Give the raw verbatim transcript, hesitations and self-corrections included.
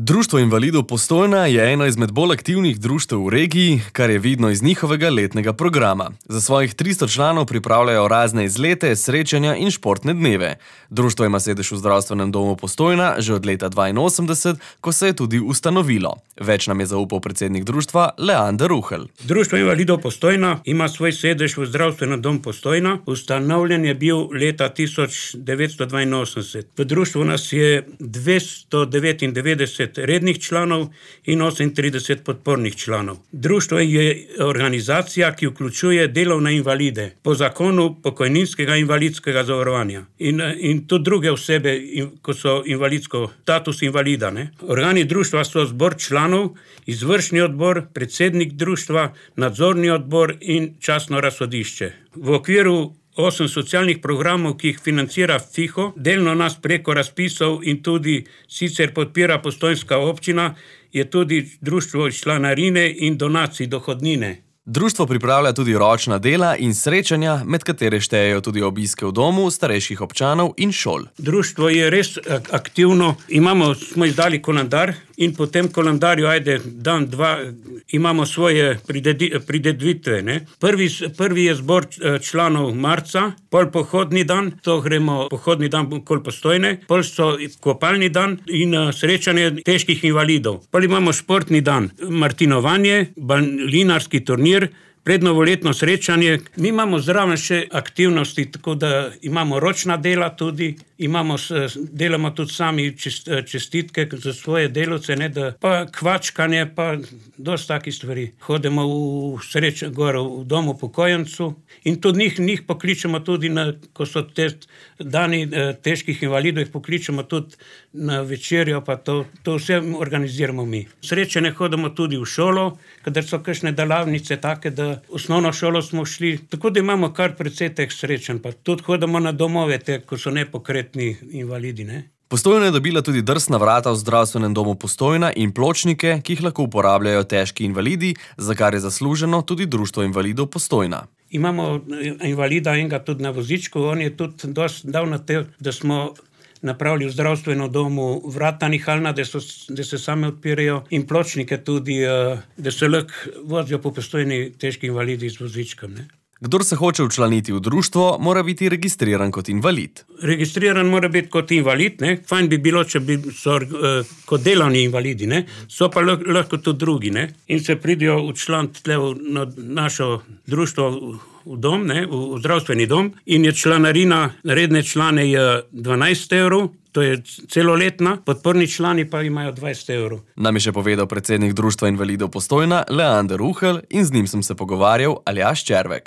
Društvo invalidov Postojna je eno izmed bolj aktivnih društev v regiji, kar je vidno iz njihovega letnega programa. Za svojih tristo članov pripravljajo razne izlete, srečanja in športne dneve. Društvo ima sedež v zdravstvenem domu Postojna že od leta dvainosemdeset, ko se je tudi ustanovilo. Več nam je zaupal predsednik društva Leander Ruhelj. Društvo invalidov Postojna ima svoj sedež v zdravstvenem domu Postojna. Ustanovljen je bil leta tisoč devetsto dvainosemdeset. V društvu nas je dvesto devetindevetdeset rednih članov in osemintrideset podpornih članov. Društvo je organizacija, ki vključuje delovne invalide po zakonu pokojninskega invalidskega zavarovanja in, in tudi druge osebe, ko so invalidsko, status invalida. Ne? Organi društva so zbor članov, izvršni odbor, predsednik društva, nadzorni odbor in častno razsodišče. V okviru osem socialnih programov, ki jih financira FIHO, delno nas preko razpisov in tudi sicer podpira postojnska občina, je tudi društvo iz članarine in donacij dohodnine. Društvo pripravlja tudi ročna dela in srečanja, med katere štejejo tudi obiske v domu starejših občanov in šol. Društvo je res aktivno. Imamo, smo izdali koledar in po tem koledarju, ajde, dan, dva, imamo svoje prireditve. Ne? Prvi, prvi je zbor članov marca, pol pohodni dan, to gremo pohodni dan okoli Postojne, pol so kopalni dan in srečanje težkih invalidov. Pol imamo športni dan, martinovanje, balinarski turnir, prednovoletno srečanje. Mi imamo zraven še aktivnosti, tako da imamo ročna dela tudi, imamo, delamo tudi sami čestitke za svoje delavce, ne, da, pa kvačkanje, pa dosti takih stvari. Hodimo v sreč, gor v domu upokojencu in tudi njih, njih pokličemo tudi, na, ko so te dani težkih invalidov, jih pokličemo tudi na večerjo, pa to, to vse organiziramo mi. Srečanje hodimo tudi v šolo, kadar so kakšne delavnice take, da osnovno šolo smo šli, tako da imamo kar precej teh srečanj, pa tudi hodimo na domove, te, ko so nepokretni invalidi. Ne? Postojna je dobila tudi drsna vrata v zdravstvenem domu Postojna in pločnike, ki jih lahko uporabljajo težki invalidi, za kar je zasluženo tudi Društvo invalidov Postojna. Imamo invalida enega tudi na vozičku, on je tudi dosti dal na te, da smo napravili v zdravstvenem domu vrata nihalna, da, so, da se same odpirajo in pločnike tudi, da se lahko vozijo po Postojni težki invalidi z vozičkom. Ne? Kdor se hoče včlaniti v društvo, mora biti registriran kot invalid. Registriran mora biti kot invalid, ne? Fajn bi bilo, če bi so uh, kot delovni invalidi, ne? So pa lahko tudi drugi, ne? In se pridijo včlaniti tle v našo društvo v dom, ne? V, v zdravstveni dom in je članarina, redne člane je dvanajst evrov, to je celoletna, podporni člani pa imajo dvajset evrov. Nam je še povedal predsednik Društva invalidov Postojna Leander Ruhelj in z njim sem se pogovarjal Aljaž Červek.